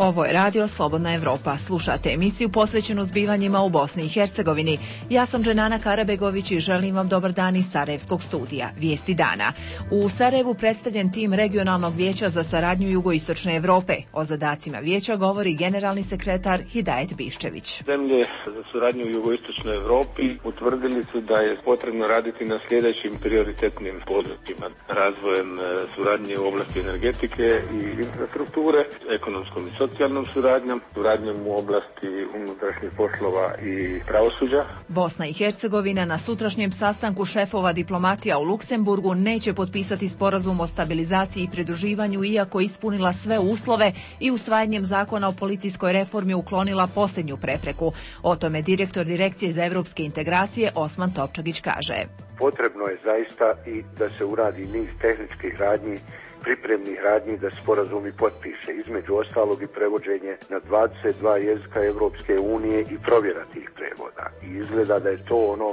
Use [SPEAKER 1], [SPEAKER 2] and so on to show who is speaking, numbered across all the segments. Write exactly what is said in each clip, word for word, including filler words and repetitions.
[SPEAKER 1] Ovo je Radio Slobodna Evropa. Slušate emisiju posvećenu zbivanjima u Bosni i Hercegovini. Ja sam Dženana Karabegović i želim vam dobar dan iz Sarajevskog studija. Vijesti dana. U Sarajevu predstavljen tim Regionalnog vijeća za saradnju Jugoistočne Evrope. O zadacima vijeća govori generalni sekretar Hidajet Biščević.
[SPEAKER 2] Zemlje za suradnju u Jugoistočnoj Evropi utvrdili su da je potrebno raditi na sljedećim prioritetnim područjima. Razvojem suradnje u oblasti energetike i infrastrukture, ekonomskom i socijalnom suradnjom, suradnjom u oblasti unutrašnjih poslova i pravosuđa.
[SPEAKER 1] Bosna i Hercegovina na sutrašnjem sastanku šefova diplomatija u Luksemburgu neće potpisati sporazum o stabilizaciji i pridruživanju iako ispunila sve uslove i usvajanjem zakona o policijskoj reformi uklonila posljednju prepreku. O tome direktor Direkcije za evropske integracije Osman Topčagić kaže.
[SPEAKER 3] Potrebno je zaista i da se uradi niz tehničkih radnji, pripremnih radnji da sporazumi potpiše, između ostalog i prevođenje na dvadeset dva jezika Evropske unije i provjera tih prevoda. I izgleda da je to ono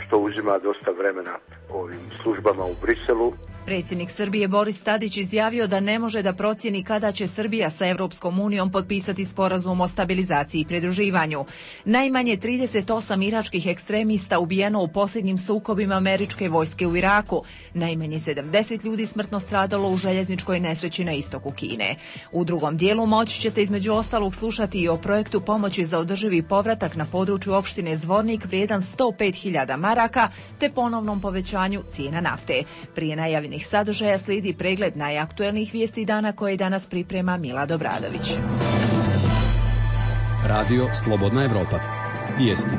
[SPEAKER 3] što uzima dosta vremena ovim službama u Briselu.
[SPEAKER 1] Predsjednik Srbije Boris Tadić izjavio da ne može da procijeni kada će Srbija sa Evropskom unijom potpisati sporazum o stabilizaciji i pridruživanju. Najmanje trideset osam iračkih ekstremista ubijeno u posljednjim sukobima američke vojske u Iraku. Najmanje sedamdeset ljudi smrtno stradalo u željezničkoj nesreći na istoku Kine. U drugom dijelu moći ćete između ostalog slušati i o projektu pomoći za održivi povratak na području opštine Zvornik vrijedan sto pet hiljada maraka te ponovnom povećanju cijena nafte. Prije najavljenih sadržaja slijedi pregled najaktuelnijih vijesti dana koje danas priprema Mila Dobradović.
[SPEAKER 4] Radio Slobodna Evropa. Vijesti.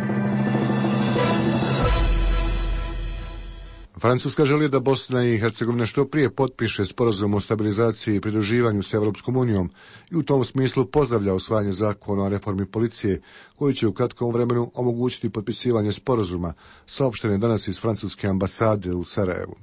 [SPEAKER 5] Francuska želi da Bosna i Hercegovina što prije potpiše sporazum o stabilizaciji i pridruživanju s Evropskom unijom i u tom smislu pozdravlja usvajanje zakona o reformi policije koji će u kratkom vremenu omogućiti potpisivanje sporazuma, saopštene danas iz francuske ambasade u Sarajevu.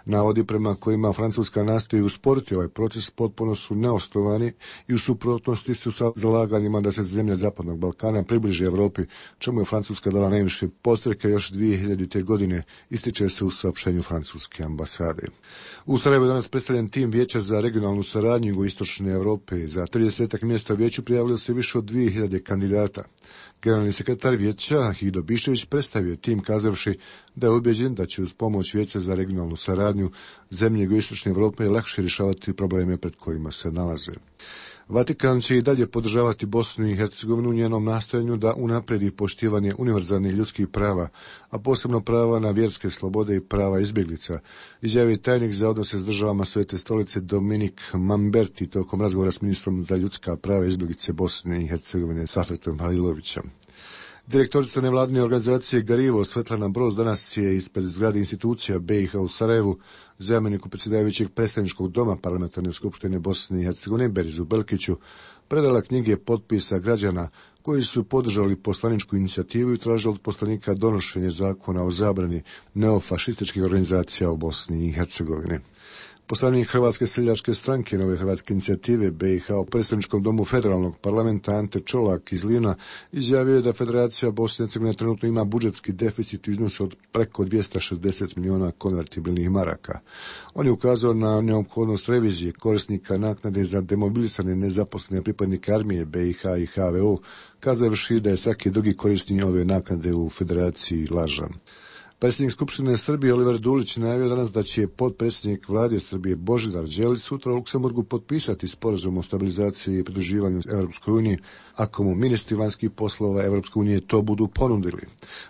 [SPEAKER 5] Navodi prema kojima Francuska nastoji usporiti ovaj proces potpuno su neosnovani i u suprotnosti su sa zalaganjima da se zemlje Zapadnog Balkana približi Europi, čemu je Francuska dala najviše podstreke još dvije hiljadite. godine, ističe se u saopštenju francuske ambasade. U Sarajevu je danas predstavljen tim Vijeća za regionalnu saradnju Jugoistočne Evrope. Za tridesetak mjesta u vijeću prijavilo se više od dvije hiljade kandidata. Generalni sekretar vijeća Hido Biščević predstavio tim kazavši da je ubeđen da će uz pomoć Vijeća za regionalnu saradnju zemlje Jugoistočne Evrope lakše rješavati probleme pred kojima se nalaze. Vatikan će i dalje podržavati Bosnu i Hercegovinu u njenom nastojanju da unapredi poštivanje univerzalnih ljudskih prava, a posebno prava na vjerske slobode i prava izbjeglica, izjavio tajnik za odnose s državama Svete stolice Dominik Mamberti tokom razgovora s ministrom za ljudska prava izbjeglice Bosne i Hercegovine Safetom Halilovićem. Direktorica nevladine organizacije Garivo Svetlana Broz danas je ispred zgrade institucija B i H u Sarajevu zamjeniku predsjedavajućeg predstavničkog doma Parlamentarne skupštine Bosne i Hercegovine Berizu Belkiću predala knjige potpisa građana koji su podržali poslaničku inicijativu i tražili od poslanika donošenje zakona o zabrani neofašističkih organizacija u Bosni i Hercegovini. Poslanik Hrvatske seljačke stranke Nove hrvatske inicijative B i H u predstavničkom domu federalnog parlamenta Ante Čolak iz Livna izjavio je da Federacija Bosne i Hercegovine trenutno ima budžetski deficit u iznosu od preko dvjesto šezdeset milijuna konvertibilnih maraka. On je ukazao na neophodnost revizije korisnika naknade za demobilisane nezaposlene pripadnike armije B i H i H V O, kazavši da je svaki drugi korisnik ove naknade u Federaciji lažan. Predsjednik Skupštine Srbije Oliver Dulić najavio danas da će potpredsjednik vlade Srbije Božidar Đelić sutra u Luksemburgu potpisati sporazum o stabilizaciji i pridruživanju Europskoj uniji, ako mu ministri vanjskih poslova Europske unije to budu ponudili.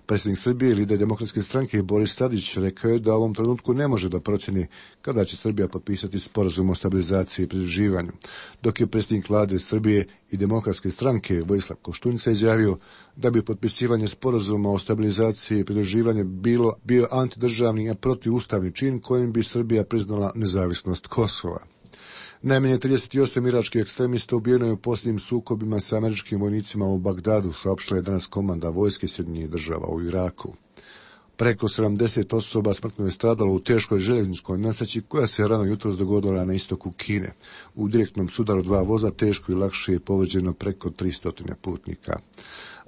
[SPEAKER 5] Predsjednik Srbije i lider Demokratske stranke Boris Tadić rekao je da u ovom trenutku ne može da procjeni kada će Srbija potpisati sporazum o stabilizaciji i pridruživanju, dok je predsjednik vlade Srbije i Demokratske stranke Vojislav Koštunica izjavio da bi potpisivanje sporazuma o stabilizaciji i pridruživanju bilo bio antidržavni i protivustavni čin kojim bi Srbija priznala nezavisnost Kosova. Najmanje trideset osam iračkih ekstremista ubijeno je u posljednjim sukobima sa američkim vojnicima u Bagdadu, saopštila je danas komanda vojske Sjedinjenih država u Iraku. Preko sedamdeset osoba smrtno je stradalo u teškoj željezničkoj nesreći koja se rano jutros dogodila na istoku Kine. U direktnom sudaru dva voza teško i lakše je povrijeđeno preko tristo putnika.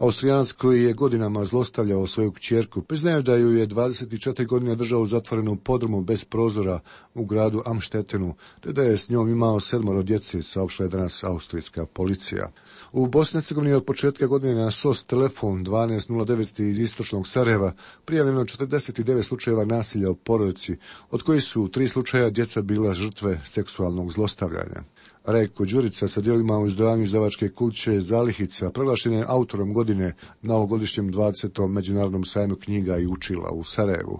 [SPEAKER 5] Austrijanac koji je godinama zlostavljao svoju kćerku priznaje da ju je dvadeset četiri godine držao u zatvorenom podrumu bez prozora u gradu Amštetenu, te da je s njom imao sedmoro djece, saopštila je danas austrijska policija. U Bosni i Hercegovini od početka godine na S O S telefon dvanaest nula devet iz istočnog Sarajeva prijavljeno četrdeset devet slučajeva nasilja u porodici, od kojih su tri slučaja djeca bila žrtve seksualnog zlostavljanja. Rajko Đurica sa djelima u izdavanju izdavačke kuće Zalihica proglašen je autorom godine na ovogodišnjem dvadesetom međunarodnom sajmu knjiga i učila u Sarajevu.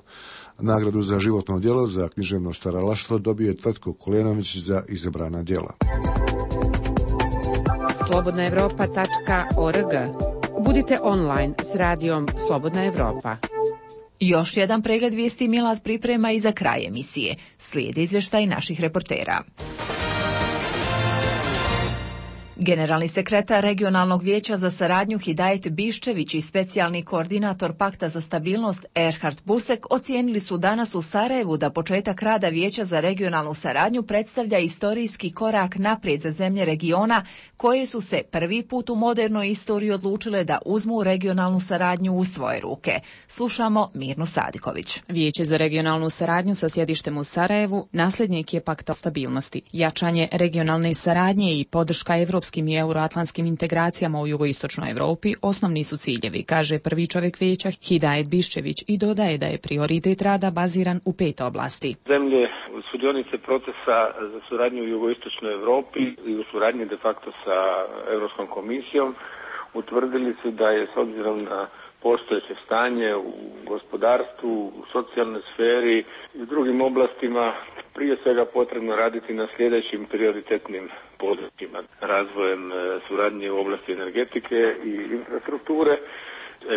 [SPEAKER 5] Nagradu za životno djelo za književno stvaralaštvo dobio je Tvrtko Kolenović za izabrana djela.
[SPEAKER 6] slobodna evropa tačka org. Budite online s radijom Slobodna Evropa.
[SPEAKER 1] Još jedan pregled vijesti Milad priprema i za kraj emisije. Slijede izvještaj naših reportera. Generalni sekretar Regionalnog vijeća za saradnju Hidajet Biščević i specijalni koordinator Pakta za stabilnost Erhard Busek ocijenili su danas u Sarajevu da početak rada Vijeća za regionalnu saradnju predstavlja istorijski korak naprijed za zemlje regiona koje su se prvi put u modernoj istoriji odlučile da uzmu regionalnu saradnju u svoje ruke. Slušamo Mirnu Sadiković.
[SPEAKER 6] Vijeće za regionalnu saradnju sa sjedištem u Sarajevu nasljednik je Pakta stabilnosti. Jačanje regionalne saradnje i podrška evropskim i euroatlantskim integracijama u jugoistočnoj Europi osnovni su ciljevi, kaže prvi čovjek vijeća Hidajet Biščević i dodaje da je prioritet rada baziran u pet oblasti.
[SPEAKER 2] Zemlje sudionice procesa za suradnju u jugoistočnoj Europi i u suradnji de facto sa Europskom komisijom utvrdili su da je s obzirom na postojeće stanje u gospodarstvu, u socijalnoj sferi i u drugim oblastima prije svega potrebno raditi na sljedećim prioritetnim područjima. Razvojem suradnje u oblasti energetike i infrastrukture,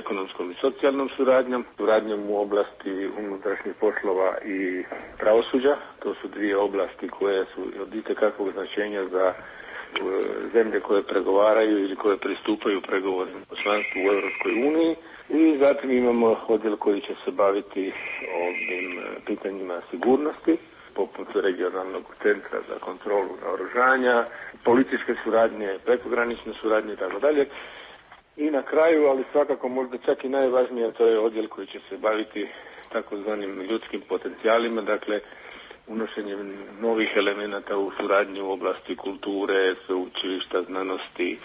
[SPEAKER 2] ekonomskom i socijalnom suradnjom, suradnjom u oblasti unutrašnjih poslova i pravosuđa. To su dvije oblasti koje su od itekakvog značenja za zemlje koje pregovaraju ili koje pristupaju pregovorima o članstvu u Europskoj uniji. I zatim imamo odjel koji će se baviti ovim pitanjima sigurnosti, poput regionalnog centra za kontrolu naoružanja, policijske suradnje, prekogranične suradnje i tako dalje. I na kraju, ali svakako možda čak i najvažnije, to je odjel koji će se baviti takozvanim ljudskim potencijalima, dakle unošenjem novih elemenata u suradnji u oblasti kulture, sveučilišta, znanosti,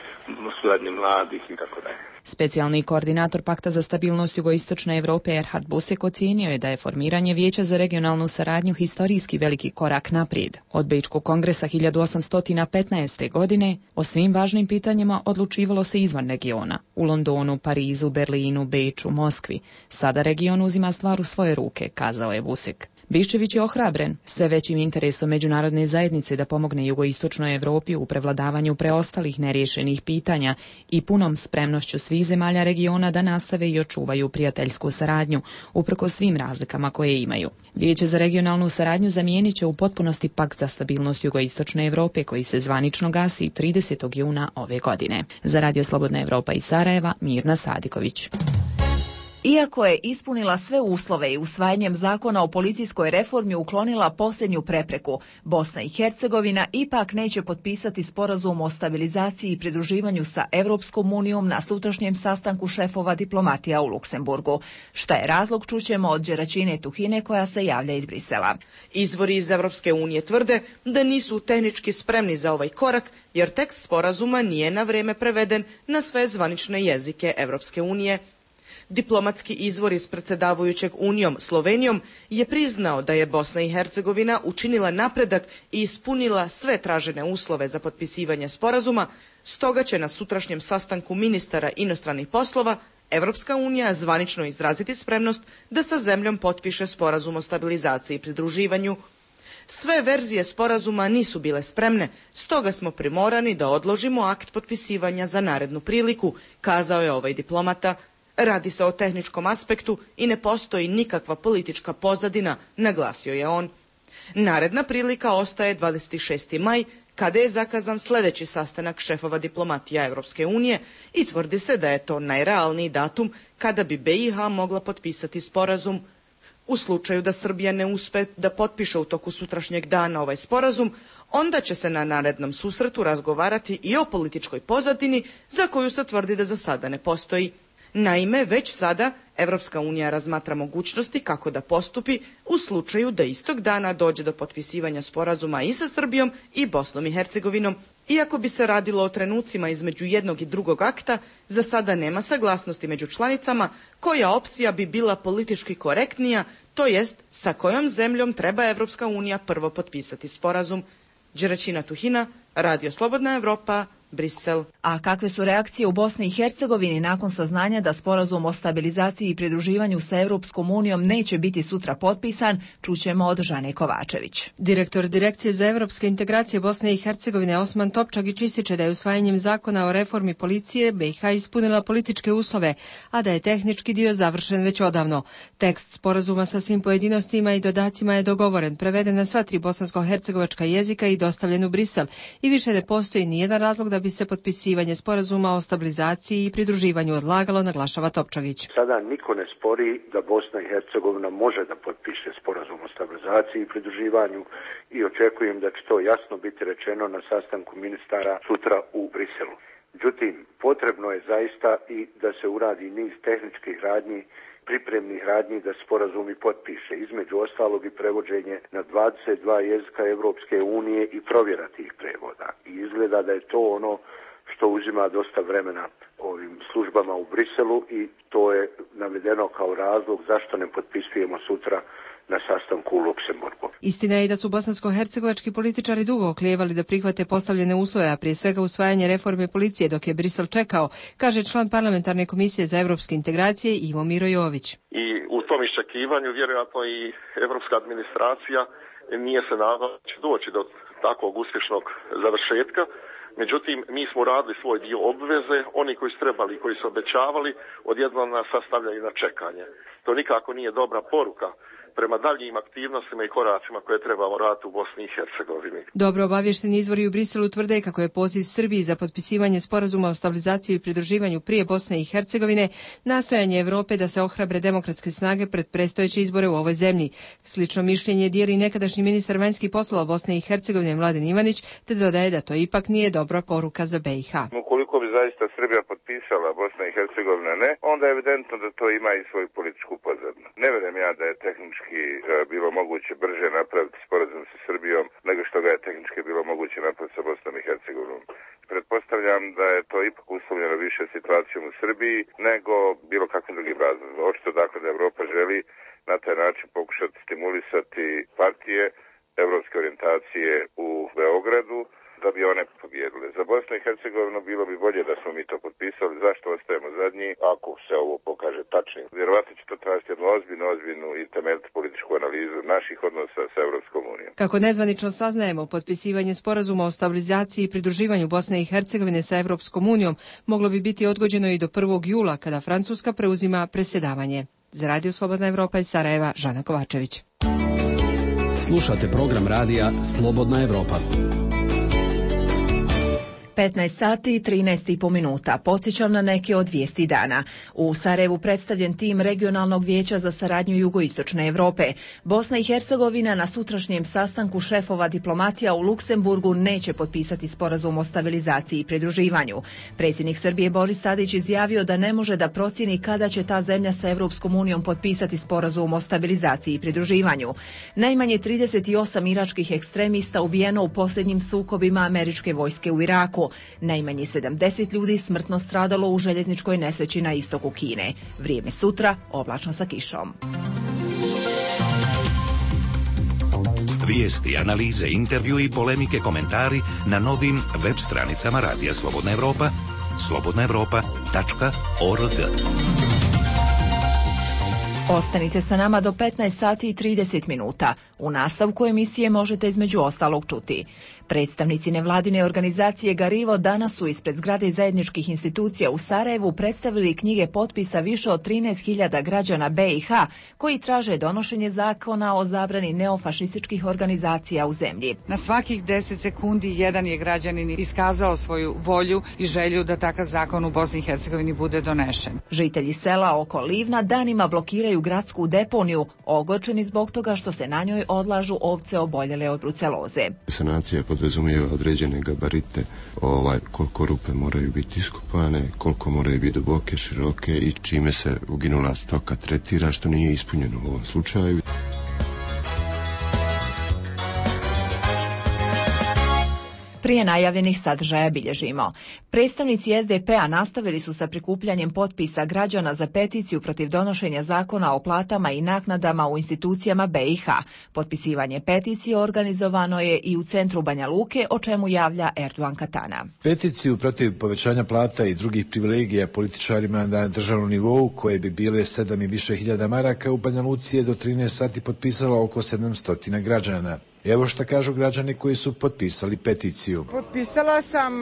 [SPEAKER 2] suradnje mladih i tako dalje.
[SPEAKER 6] Specijalni koordinator Pakta za stabilnost jugoistočne Europe Erhard Busek ocijenio je da je formiranje Vijeća za regionalnu saradnju historijski veliki korak naprijed. Od Bečkog kongresa hiljadu osamsto petnaeste. godine o svim važnim pitanjima odlučivalo se izvan regiona. U Londonu, Parizu, Berlinu, Beču, Moskvi. Sada region uzima stvar u svoje ruke, kazao je Busek. Biščević je ohrabren sve većim interesom međunarodne zajednice da pomogne jugoistočnoj Europi u prevladavanju preostalih neriješenih pitanja i punom spremnošću svih zemalja regiona da nastave i očuvaju prijateljsku saradnju, uprkos svim razlikama koje imaju. Vijeće za regionalnu saradnju zamijenit će u potpunosti Pakt za stabilnost jugoistočne Europe koji se zvanično gasi tridesetog juna ove godine. Za Radio Slobodna Evropa iz Sarajeva, Mirna Sadiković.
[SPEAKER 1] Iako je ispunila sve uslove i usvajanjem zakona o policijskoj reformi uklonila posljednju prepreku, Bosna i Hercegovina ipak neće potpisati sporazum o stabilizaciji i pridruživanju sa Europskom unijom na sutrašnjem sastanku šefova diplomatija u Luksemburgu. Šta je razlog, čućemo od Đeračine Tuhine koja se javlja iz Brisela.
[SPEAKER 7] Izvori iz Europske unije tvrde da nisu tehnički spremni za ovaj korak jer tekst sporazuma nije na vrijeme preveden na sve zvanične jezike Europske unije. Diplomatski izvor iz predsjedavajućeg Unijom Slovenijom je priznao da je Bosna i Hercegovina učinila napredak i ispunila sve tražene uslove za potpisivanje sporazuma, stoga će na sutrašnjem sastanku ministara inostranih poslova Europska unija zvanično izraziti spremnost da sa zemljom potpiše sporazum o stabilizaciji i pridruživanju. Sve verzije sporazuma nisu bile spremne, stoga smo primorani da odložimo akt potpisivanja za narednu priliku, kazao je ovaj diplomata. Radi se o tehničkom aspektu i ne postoji nikakva politička pozadina, naglasio je on. Naredna prilika ostaje dvadeset šesti maj, kada je zakazan sljedeći sastanak šefova diplomatija Europske unije i tvrdi se da je to najrealniji datum kada bi B i H mogla potpisati sporazum. U slučaju da Srbija ne uspe da potpiše u toku sutrašnjeg dana ovaj sporazum, onda će se na narednom susretu razgovarati i o političkoj pozadini za koju se tvrdi da za sada ne postoji. Naime, već sada Evropska unija razmatra mogućnosti kako da postupi u slučaju da istog dana dođe do potpisivanja sporazuma i sa Srbijom i Bosnom i Hercegovinom. Iako bi se radilo o trenucima između jednog i drugog akta, za sada nema saglasnosti među članicama koja opcija bi bila politički korektnija, to jest sa kojom zemljom treba Evropska unija prvo potpisati sporazum. Đeračina Tuhina, Radio Slobodna Evropa, Brisel.
[SPEAKER 1] A kakve su reakcije u Bosni i Hercegovini nakon saznanja da sporazum o stabilizaciji i pridruživanju sa Europskom unijom neće biti sutra potpisan, čućemo od Žane Kovačević.
[SPEAKER 8] Direktor Direkcije za evropske integracije Bosne i Hercegovine Osman Topčagić ističe da je usvajanjem zakona o reformi policije B i H ispunila političke uslove, a da je tehnički dio završen već odavno. Tekst sporazuma sa svim pojedinostima i dodacima je dogovoren, preveden na sva tri bosansko-hercegovačka jezika i dostavljen u Brisel i više ne postoji nijedan razlog da bi se potpisivanje sporazuma o stabilizaciji i pridruživanju odlagalo, naglašava Topčagić.
[SPEAKER 3] Sada niko ne spori da Bosna i Hercegovina može da potpiše sporazum o stabilizaciji i pridruživanju i očekujem da će to jasno biti rečeno na sastanku ministara sutra u Briselu. Međutim, potrebno je zaista i da se uradi niz tehničkih radnji, pripremnih radnji da sporazumi potpiše, između ostalog i prevođenje na dvadeset dva jezika Evropske unije i provjera tih prevoda. I izgleda da je to ono što uzima dosta vremena ovim službama u Briselu i to je navedeno kao razlog zašto ne potpisujemo sutra na sastanku u Luksemburgu.
[SPEAKER 8] Istina je i da su bosansko-hercegovački političari dugo oklijevali da prihvate postavljene uslove, a prije svega usvajanje reforme policije dok je Brisel čekao, kaže član parlamentarne komisije za evropske integracije Ivo Miro Jović.
[SPEAKER 9] I u tom iščekivanju vjerojatno i evropska administracija nije se nadala da će doći do takvog uspješnog završetka. Međutim, mi smo radili svoj dio obveze, oni koji su trebali i koji su obećavali, odjednom nas sastavljaju na čekanje. To nikako nije dobra poruka prema daljnjim aktivnostima i koracima koje trebamo raditi u Bosni i Hercegovini.
[SPEAKER 8] Dobro obavješteni izvori u Briselu tvrde kako je poziv Srbiji za potpisivanje sporazuma o stabilizaciji i pridruživanju prije Bosne i Hercegovine nastojanje Evrope da se ohrabre demokratske snage pred predstojeće izbore u ovoj zemlji. Slično mišljenje dijeli nekadašnji ministar vanjskih poslova Bosne i Hercegovine Mladen Ivanić, te dodaje da to ipak nije dobra poruka za B i H.
[SPEAKER 10] Ukoliko bi zaista Srbija potpisala, Bosna i Hercegovina ne, onda je evidentno da to ima i svoju političku pozadinu. Ne vjerujem ja da je tehnički bilo moguće brže napraviti sporazum sa Srbijom nego što ga je tehnički bilo moguće napraviti sa Bosnom i Hercegovinom. Pretpostavljam da je to ipak uslovljeno više situacijom u Srbiji nego bilo kakvim drugim razlogom. Očito dakle da Evropa želi na taj način pokušati stimulisati partije evropske orijentacije u Beogradu da bi one pobjedile. Za Bosnu i Hercegovinu bilo bi bolje da smo mi to potpisali. Zašto ostajemo zadnji? Ako se ovo pokaže tačnim. Vjerovatno će to tražiti jednu ozbiljnu, ozbiljnu i temeljitu političku analizu naših odnosa sa Evropskom unijom.
[SPEAKER 8] Kako nezvanično saznajemo, potpisivanje sporazuma o stabilizaciji i pridruživanju Bosne i Hercegovine sa Evropskom unijom moglo bi biti odgođeno i do prvog jula kada Francuska preuzima predsjedavanje. Za Radio Slobodna Evropa iz Sarajeva, Žana Kovačević.
[SPEAKER 4] Slušate program radija Slobodna Evropa.
[SPEAKER 1] petnaest sati i trinaest i po minuta. Podsjećam na neke od vijesti dana. U Sarajevu predstavljen tim Regionalnog vijeća za saradnju Jugoistočne Europe. Bosna i Hercegovina na sutrašnjem sastanku šefova diplomatija u Luksemburgu neće potpisati sporazum o stabilizaciji i pridruživanju. Predsjednik Srbije Boris Tadić izjavio da ne može da procijeni kada će ta zemlja sa Europskom unijom potpisati sporazum o stabilizaciji i pridruživanju. Najmanje trideset osam iračkih ekstremista ubijeno u posljednjim sukobima američke vojske u Iraku. Najmanje sedamdeset ljudi smrtno stradalo u željezničkoj nesreći na istoku Kine. Vrijeme sutra, oblačno sa kišom.
[SPEAKER 11] Vijesti, analize, intervju i polemike, komentari na novim web stranicama Radija Slobodna Evropa, slobodna evropa tačka org.
[SPEAKER 1] Ostanite sa nama do petnaest sati i trideset minuta. U nastavku emisije možete između ostalog čuti. Predstavnici nevladine organizacije Garivo danas su ispred zgrade zajedničkih institucija u Sarajevu predstavili knjige potpisa više od trinaest hiljada građana B i H koji traže donošenje zakona o zabrani neofašističkih organizacija u zemlji.
[SPEAKER 12] Na svakih deset sekundi jedan je građanin iskazao svoju volju i želju da takav zakon u Bosni i Hercegovini bude donešen.
[SPEAKER 1] Žitelji sela oko Livna danima blokiraju svoju gradsku deponiju, ogorčeni zbog toga što se na njoj odlažu ovce oboljele od bruceloze.
[SPEAKER 13] Sanacija podrazumijeva određene gabarite, ovaj, koliko rupe moraju biti iskopane, koliko moraju biti duboke, široke i čime se uginula stoka tretira, što nije ispunjeno u ovom slučaju.
[SPEAKER 1] Prije najavljenih sadržaja bilježimo. Predstavnici S D P-a nastavili su sa prikupljanjem potpisa građana za peticiju protiv donošenja zakona o platama i naknadama u institucijama B i H. Potpisivanje peticije organizovano je i u centru Banja Luke, o čemu javlja Erdogan Katana.
[SPEAKER 14] Peticiju protiv povećanja plata i drugih privilegija političarima na državnom nivou, koje bi bile sedam i više hiljada maraka, u Banja Luci je do trinaest sati potpisalo oko sedamsto građana. Evo šta kažu građani koji su potpisali peticiju.
[SPEAKER 15] Potpisala sam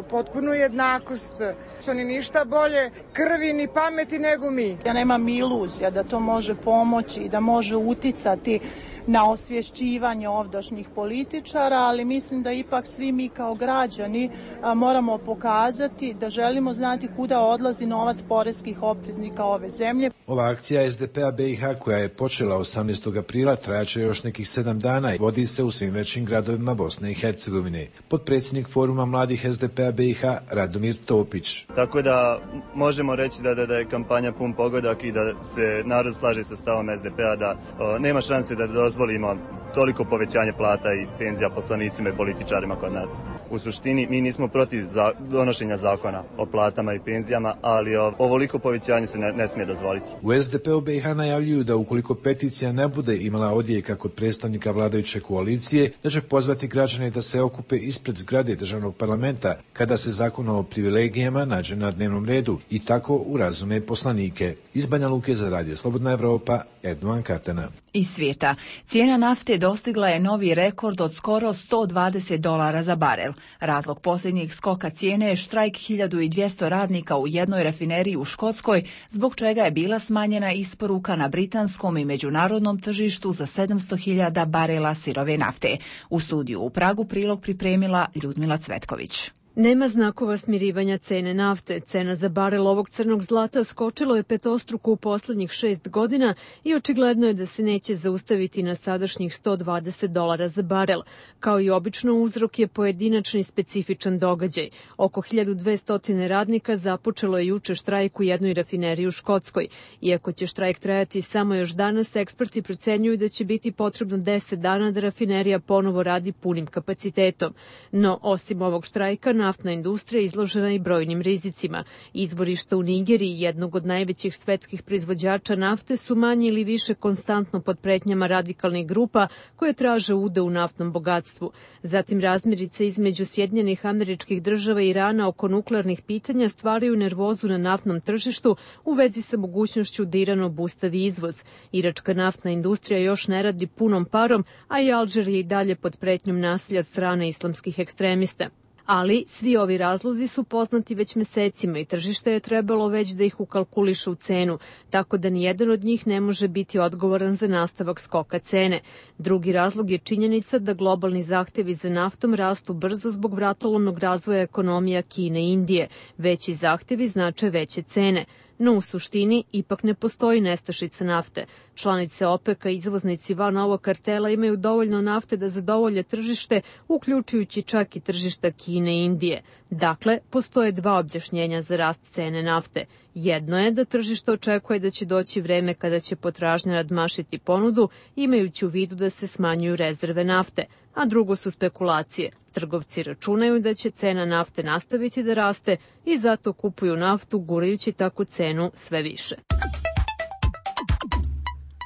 [SPEAKER 15] potpunu jednakost, što ni ništa bolje krvi ni pameti nego mi.
[SPEAKER 16] Ja nemam iluzija da to može pomoći i da može uticati na osvješćivanje ovdašnjih političara, ali mislim da ipak svi mi kao građani a, moramo pokazati da želimo znati kuda odlazi novac poreskih obveznika ove zemlje.
[SPEAKER 14] Ova akcija S D P-a B i H, koja je počela osamnaestog aprila, trajaće još nekih sedam dana i vodi se u svim većim gradovima Bosne i Hercegovine. Potpredsjednik Foruma mladih S D P-a B i H Radomir Topić.
[SPEAKER 17] Tako da možemo reći da, da, da je kampanja pun pogodak i da se narod slaže sa stavom S D P-a da o, nema šanse da dozvolimo toliko povećanje plata i penzija poslanicima i političarima kod nas. U suštini mi nismo protiv za donošenja zakona o platama i penzijama, ali ovoliko povećanje se ne, ne smije dozvoliti.
[SPEAKER 14] U S D P-u B i H najavljuju da ukoliko peticija ne bude imala odjeka kod predstavnika vladajuće koalicije, da će pozvati građane da se okupe ispred zgrade državnog parlamenta kada se zakon o privilegijama nađe na dnevnom redu i tako urazume poslanike. Iz Banja Luke za Radio Slobodna Evropa, Erdogan Katana.
[SPEAKER 1] Iz svijeta. Cijena nafte dostigla je novi rekord od skoro sto dvadeset dolara za barel. Razlog posljednjeg skoka cijene je štrajk hiljadu dvjesto radnika u jednoj rafineriji u Škotskoj, zbog čega je bila smanjena isporuka na britanskom i međunarodnom tržištu za sedamsto hiljada barela sirove nafte. U studiju u Pragu prilog pripremila Ljudmila Cvetković.
[SPEAKER 18] Nema znakova smirivanja cene nafte. Cena za barel ovog crnog zlata skočilo je petostruko u posljednjih šest godina i očigledno je da se neće zaustaviti na sadašnjih sto dvadeset dolara za barel. Kao i obično, uzrok je pojedinačni specifičan događaj. Oko hiljadu dvjesto radnika započelo je juče štrajk u jednoj rafineriji u Škotskoj. Iako će štrajk trajati samo još danas, eksperti procenjuju da će biti potrebno deset dana da rafinerija ponovo radi punim kapacitetom. No, osim ovog štrajka, naftna industrija izložena i brojnim rizicima. Izvorišta u Nigeriji, jednog od najvećih svetskih proizvođača nafte, su manje ili više konstantno pod pretnjama radikalnih grupa koje traže ude u naftnom bogatstvu. Zatim razmirice između Sjedinjenih Američkih Država i Irana oko nuklearnih pitanja stvaraju nervozu na naftnom tržištu u vezi sa mogućnošću da Iran obustavi izvoz. Iračka naftna industrija još ne radi punom parom, a i Alžir je i dalje pod pretnjom nasilja od strane islamskih ekstremista. Ali svi ovi razlozi su poznati već mesecima i tržište je trebalo već da ih ukalkuliše u cenu, tako da nijedan od njih ne može biti odgovoran za nastavak skoka cene. Drugi razlog je činjenica da globalni zahtjevi za naftom rastu brzo zbog vratolomnog razvoja ekonomija Kine i Indije. Veći zahtjevi znače veće cene. No u suštini ipak ne postoji nestašica nafte. Članice OPEC-a i izvoznici van ovog kartela imaju dovoljno nafte da zadovolje tržište, uključujući čak i tržišta Kine i Indije. Dakle, postoje dva objašnjenja za rast cene nafte. Jedno je da tržište očekuje da će doći vreme kada će potražnja nadmašiti ponudu, imajući u vidu da se smanjuju rezerve nafte. A drugo su spekulacije. Trgovci računaju da će cena nafte nastaviti da raste i zato kupuju naftu, gurajući tako cenu sve više.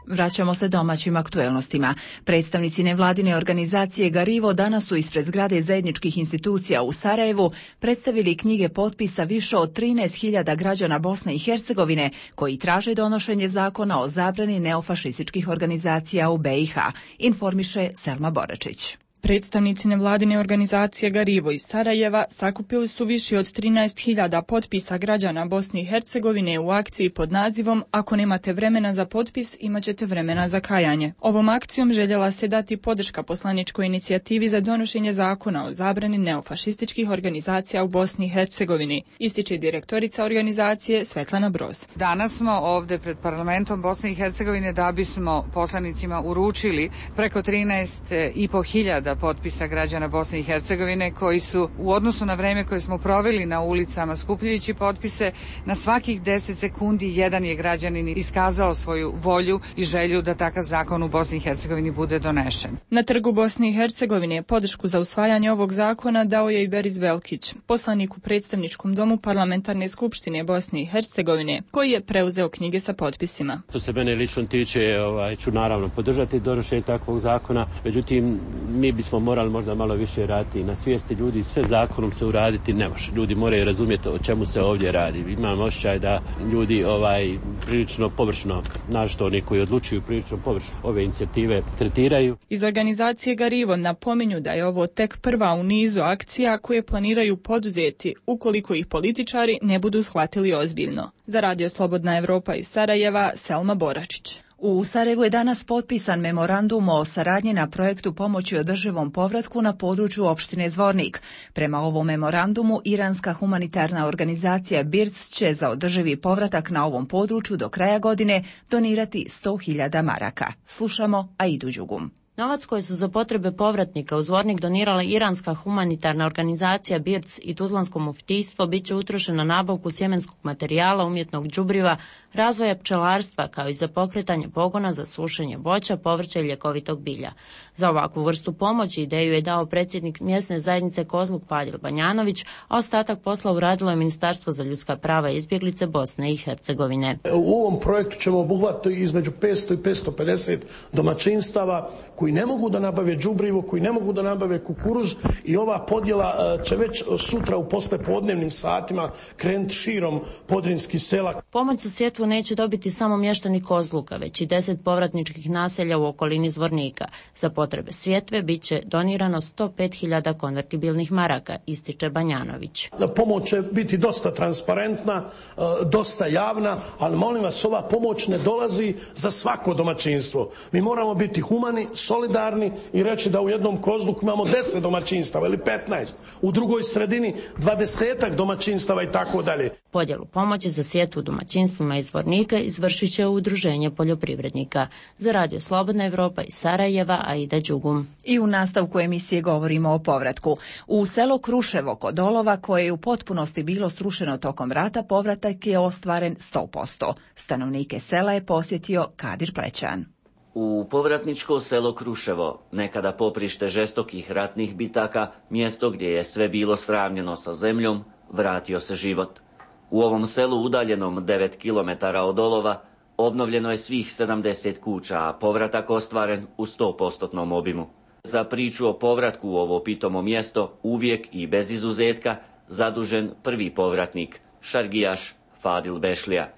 [SPEAKER 1] Vraćamo se domaćim aktuelnostima. Predstavnici nevladine organizacije Garivo danas su ispred zgrade zajedničkih institucija u Sarajevu predstavili knjige potpisa više od trinaest hiljada građana Bosne i Hercegovine koji traže donošenje zakona o zabrani neofašističkih organizacija u B i H, informiše Selma Boračić.
[SPEAKER 19] Predstavnici nevladine organizacije Garivo iz Sarajeva sakupili su više od trinaest hiljada potpisa građana Bosne i Hercegovine u akciji pod nazivom Ako nemate vremena za potpis, imat ćete vremena za kajanje. Ovom akcijom željela se dati podrška poslaničkoj inicijativi za donošenje zakona o zabrani neofašističkih organizacija u Bosni i Hercegovini, ističe direktorica organizacije Svetlana Broz.
[SPEAKER 12] Danas smo ovdje pred parlamentom Bosne i Hercegovine da bismo poslanicima uručili preko trinaest i po hiljada potpisa građana Bosne i Hercegovine koji su u odnosu na vreme koje smo proveli na ulicama skupljajući potpise, na svakih deset sekundi jedan je građanin iskazao svoju volju i želju da takav zakon u Bosni i Hercegovini bude donešen.
[SPEAKER 19] Na trgu Bosne i Hercegovine podršku za usvajanje ovog zakona dao je i Beris Velkić, poslanik u predstavničkom domu Parlamentarne skupštine Bosne i Hercegovine, koji je preuzeo knjige sa potpisima.
[SPEAKER 20] Što se mene lično tiče, ovaj, ću naravno podržati donošenje takvog zakona, međutim mi bismo morali možda malo više raditi na svijesti ljudi, sve zakonom se uraditi ne može. Ljudi moraju razumjeti o čemu se ovdje radi. Imam osjećaj da ljudi ovaj prilično površno, našto oni koji odlučuju prilično površno ove inicijative tretiraju.
[SPEAKER 19] Iz organizacije Garivo napominju da je ovo tek prva u nizu akcija koje planiraju poduzeti ukoliko ih političari ne budu shvatili ozbiljno. Za Radio Slobodna Evropa iz Sarajeva, Selma Boračić.
[SPEAKER 1] U Sarajevu je danas potpisan memorandum o saradnji na projektu pomoći održivom povratku na području opštine Zvornik. Prema ovom memorandumu, iranska humanitarna organizacija B I R C će za održivi povratak na ovom području do kraja godine donirati sto hiljada maraka. Slušamo Aidu Đugum.
[SPEAKER 21] Novac koji su za potrebe povratnika u Zvornik donirala iranska humanitarna organizacija B I R C i Tuzlansko muftijstvo bit će utrošen na nabavku sjemenskog materijala, umjetnog đubriva, razvoja pčelarstva kao i za pokretanje pogona za sušenje voća, povrća i ljekovitog bilja. Za ovakvu vrstu pomoći ideju je dao predsjednik mjesne zajednice Kozluk Fadil Banjanović, a ostatak posla uradilo je Ministarstvo za ljudska prava i izbjeglice Bosne i Hercegovine.
[SPEAKER 22] U ovom projektu ćemo obuhvatiti između petsto i petsto pedeset domaćinstava koji ne mogu da nabave đubrivo, koji ne mogu da nabave kukuruz i ova podjela će već sutra u poslijepodnevnim satima krenuti širom podrinskih sela.
[SPEAKER 21] Pomoć za sjetvu neće dobiti samo mještani Kozluka, već i deset povratničkih naselja u okolini Zvornika. Za potrebe sjetve bit će donirano sto pet hiljada konvertibilnih maraka, ističe Banjanović.
[SPEAKER 22] Pomoć će biti dosta transparentna, dosta javna, ali molim vas, ova pomoć ne dolazi za svako domaćinstvo. Mi moramo biti humani, solidarni i reći da u jednom Kozluku imamo deset domaćinstava ili petnaest, u drugoj sredini dvadesetak domaćinstava i tako dalje.
[SPEAKER 21] Podjelu pomoći za sjetvu domaćinstvima iz Zvornika izvršit će Udruženje poljoprivrednika. Za Radio Slobodna Evropa iz Sarajeva, Aida Đugum.
[SPEAKER 1] I u nastavku emisije govorimo o povratku. U selo Kruševo kod Olova, koje je u potpunosti bilo srušeno tokom rata, povratak je ostvaren sto posto. Stanovnike sela je posjetio Kadir Plećan.
[SPEAKER 23] U povratničko selo Kruševo, nekada poprište žestokih ratnih bitaka, mjesto gdje je sve bilo sravnjeno sa zemljom, vratio se život. U ovom selu, udaljenom devet kilometara od Olova, obnovljeno je svih sedamdeset kuća, a povratak ostvaren u sto posto obimu. Za priču o povratku u ovo pitomo mjesto, uvijek i bez izuzetka, zadužen prvi povratnik, šargijaš Fadil Bešlija.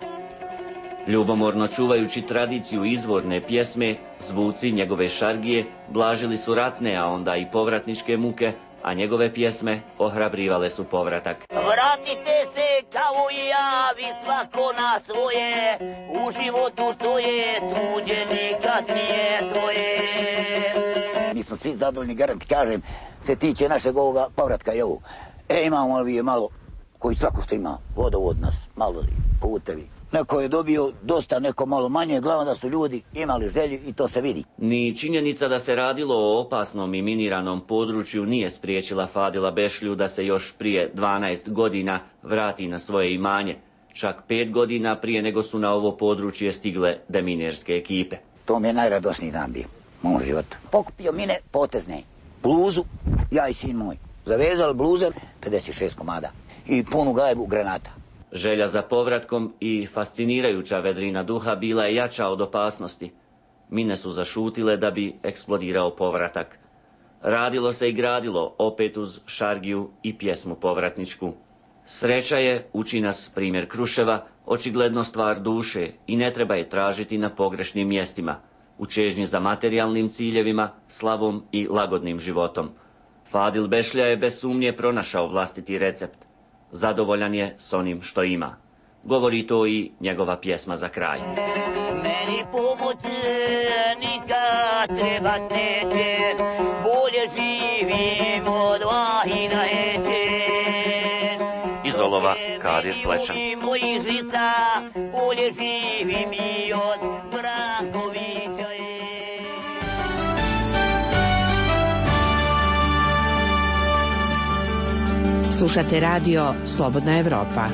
[SPEAKER 23] Ljubomorno čuvajući tradiciju izvorne pjesme, zvuci njegove šargije blažili su ratne, a onda i povratničke muke, a njegove pjesme ohrabrivale su povratak.
[SPEAKER 24] Vratite se kao i ja, vi svako na svoje, u životu što je tuđe nikad nije tvoje. Mi smo svi zadovoljni, garant kažem, se tiče našeg ovoga povratka i ovu. E, imamo ovi malo, koji svako što ima, vodovod nas, malo putevi. Neko je dobio dosta, neko malo manje, glavno da su ljudi imali želju i to se vidi.
[SPEAKER 23] Ni činjenica da se radilo o opasnom i miniranom području nije spriječila Fadila Bešlju da se još prije dvanaest godina vrati na svoje imanje. Čak pet godina prije nego su na ovo područje stigle deminerske ekipe.
[SPEAKER 24] To mi je najradosniji dan bio u mom životu. Pokupio mine potezne, bluzu, ja i sin moj. Zavezali bluzer, pedeset šest komada i punu gajbu granata.
[SPEAKER 23] Želja za povratkom i fascinirajuća vedrina duha bila je jača od opasnosti. Mine su zašutile da bi eksplodirao povratak. Radilo se i gradilo, opet uz šargiju i pjesmu povratničku. Sreća je, uči nas primjer Kruševa, očigledno stvar duše i ne treba je tražiti na pogrešnim mjestima. u čežnji za materijalnim ciljevima, slavom i lagodnim životom. Fadil Bešlja je bez sumnje pronašao vlastiti recept. Zadovoljan je s onim što ima. Govori to i njegova pjesma za kraj.
[SPEAKER 24] Meni pomoć nikad trebat neće, bolje živim od vahina eće.
[SPEAKER 23] Iz olova Kadir Plečan.
[SPEAKER 24] Mojih žica, bolje živim i od Brankovića.
[SPEAKER 2] Slušate radio Slobodna Evropa.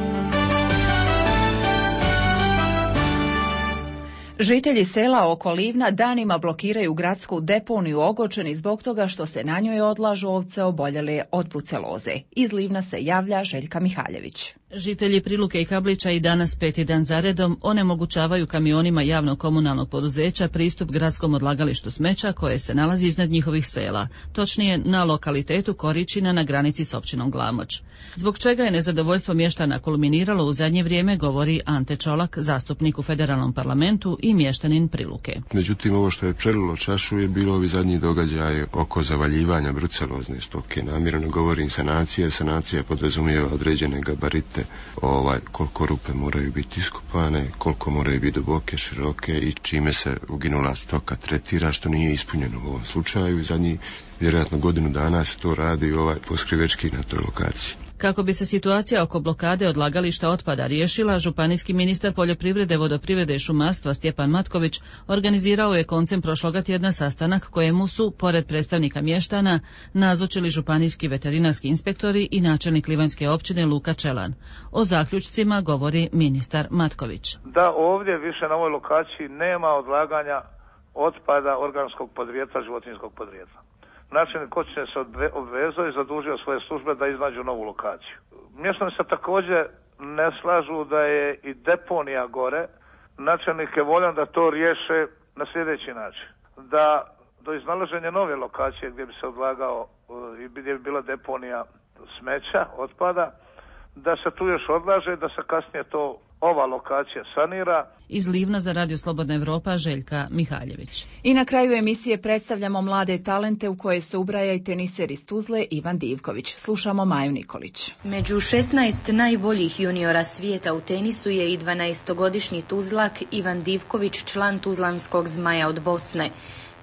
[SPEAKER 1] Žitelji sela oko Livna danima blokiraju gradsku deponiju Ogočeni zbog toga što se na njoj odlažu ovce oboljele od bruceloze. Iz Livna se javlja Željka Mihaljević.
[SPEAKER 5] Žitelji Priluke i Kablića i danas peti dan zaredom onemogućavaju kamionima javnog komunalnog poduzeća pristup gradskom odlagalištu smeća koje se nalazi iznad njihovih sela, točnije na lokalitetu Koričina na granici s općinom Glamoč. Zbog čega je nezadovoljstvo mještana kulminiralo u zadnje vrijeme, govori Ante Čolak, zastupnik u federalnom parlamentu i mještanin Priluke.
[SPEAKER 13] Međutim, ovo što je prelilo čašu je bilo ovi zadnji događaj oko zavaljivanja brucelozne stoke. Namjerno govorim sanacija, sanacija podrazumijeva određene gabarite, ovaj, koliko rupe moraju biti iskopane, koliko moraju biti duboke, široke i čime se uginula stoka tretira, što nije ispunjeno u ovom slučaju. Zadnji vjerojatno godinu dana se to radi ovaj poskrivečki na toj lokaciji.
[SPEAKER 5] Kako bi se situacija oko blokade odlagališta otpada riješila, županijski ministar poljoprivrede, vodoprivrede i šumarstva Stjepan Matković organizirao je koncem prošloga tjedna sastanak kojemu su, pored predstavnika mještana, nazočili županijski veterinarski inspektori i načelnik Livanjske općine Luka Čelan. O zaključcima govori ministar Matković.
[SPEAKER 6] Da ovdje više na ovoj lokaciji nema odlaganja otpada organskog podrijetla, životinjskog podrijetla. Načelnik općine se obvezao i zadužio svoje službe da iznađu novu lokaciju. Mještani se također ne slažu da je i deponija gore. Načelnik je voljan da to riješe na sljedeći način. Da do iznalaženja nove lokacije gdje bi se odlagao i gdje bi bila deponija smeća, otpada, da se tu još odlaže, da se kasnije to ova lokacija sanira.
[SPEAKER 5] Iz Livna za Radio Slobodna Evropa Željka Mihaljević.
[SPEAKER 1] I na kraju emisije predstavljamo mlade talente u koje se ubraja i teniser iz Tuzle Ivan Divković. Slušamo Maju Nikolić.
[SPEAKER 7] Među šesnaest najboljih juniora svijeta u tenisu je i dvanaestogodišnji Tuzlak Ivan Divković, član Tuzlanskog Zmaja od Bosne.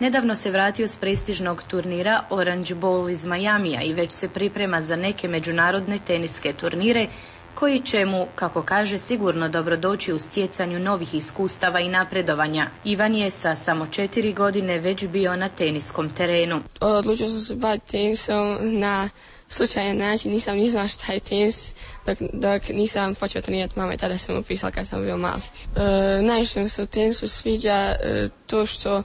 [SPEAKER 7] Nedavno se vratio s prestižnog turnira Orange Bowl iz Majamija i već se priprema za neke međunarodne teniske turnire koji će mu, kako kaže, sigurno dobrodoći u stjecanju novih iskustava i napredovanja. Ivan je sa samo četiri godine već bio na teniskom terenu.
[SPEAKER 25] Odlučio sam se baviti tenisom na slučajan način, nisam ni znao šta je tenis dok, dok nisam počeo trenirati. Mama i tada sam upisala kad sam bio mali. E, najviše mi se u tenisu sviđa e, to što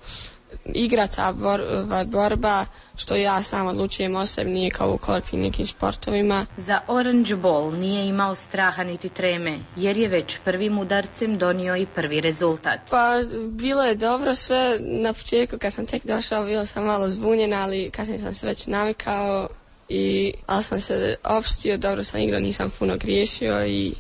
[SPEAKER 25] igra ta bor, borba, što ja sam odlučujem o sebi, nije kao u kolektivnim nekim sportovima.
[SPEAKER 7] Za Orange Bowl nije imao straha niti treme, jer je već prvim udarcem donio i prvi rezultat.
[SPEAKER 25] Pa bilo je dobro sve. Na početku kad sam tek došao bio sam malo zbunjen, ali kasnije sam se već navikao i ali sam se opštio, dobro sam igrao, nisam puno griješio i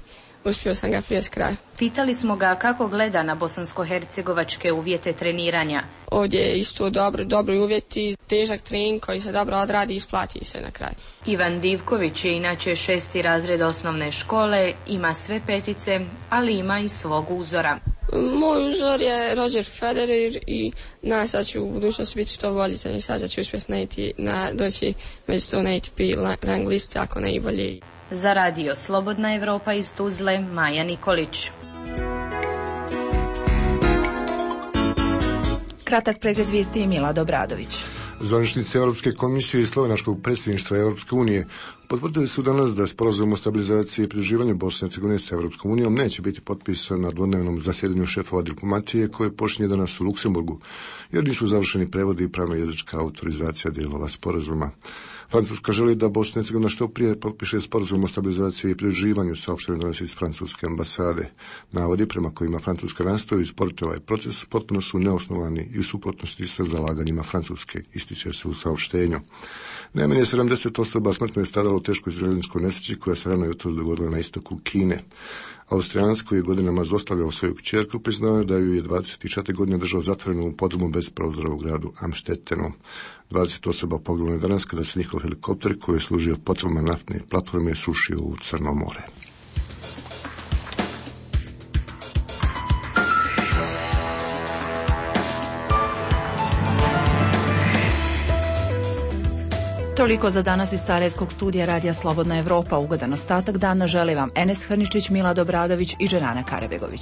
[SPEAKER 25] uspio sam ga prije s kraja.
[SPEAKER 7] Pitali smo ga kako gleda na bosansko-hercegovačke uvjete treniranja.
[SPEAKER 25] Ovdje je isto dobro, dobri uvjeti, težak trening koji se dobro odradi i isplati se na kraju.
[SPEAKER 7] Ivan Divković je inače šesti razred osnovne škole, ima sve petice, ali ima i svog uzora.
[SPEAKER 25] Moj uzor je Roger Federer i na sad ću u budućnosti biti što bolji, sad ću uspjeti na, doći među sto na A T P rang liste ako ne i bolje.
[SPEAKER 7] Za Radio Slobodna Evropa iz Tuzle, Maja Nikolić.
[SPEAKER 1] Kratak pregled vijesti Mila Dobradović.
[SPEAKER 26] Zvaničnici Europske komisije i slovenačkog predsjedništva Europske unije potvrdili su danas da sporazum o stabilizaciji i pridruživanju Bosne i Hercegovine sa Europskom unijom neće biti potpisan na dvodnevnom zasjedanju šefova diplomatije koje počinje danas u Luksemburgu, jer nisu završeni prevodi i pravno-jezička autorizacija dijelova sporazuma. Francuska želi da Bosna i Hercegovina što prije potpiše sporazum o stabilizaciji i pridruživanju, saopšteno danas iz francuske ambasade. Navodi prema kojima Francuska nastoji usporiti ovaj proces potpuno su neosnovani i u suprotnosti sa zalaganjima Francuske, ističe se u saopštenju. Najmanje sedamdeset osoba smrtno je stradalo u teškoj željezničkoj nesreći koja se rano jutros dogodila na istoku Kine. Austrijansko je godinama zlostavljao svoju kćerku, priznao da ju je dvadeset četiri godine držao zatvorenu u podrumu bez prozora u gradu Amstettenu. dvadeset osoba poginulo je danas kada se njihov helikopter koji je služio potrebama naftne platforme srušio u Crno more.
[SPEAKER 1] Toliko za danas iz Sarajevskog studija Radija Slobodna Evropa. Ugodan ostatak dana želi vam Enes Hrničić, Milad Obradović i Dženana Karabegović.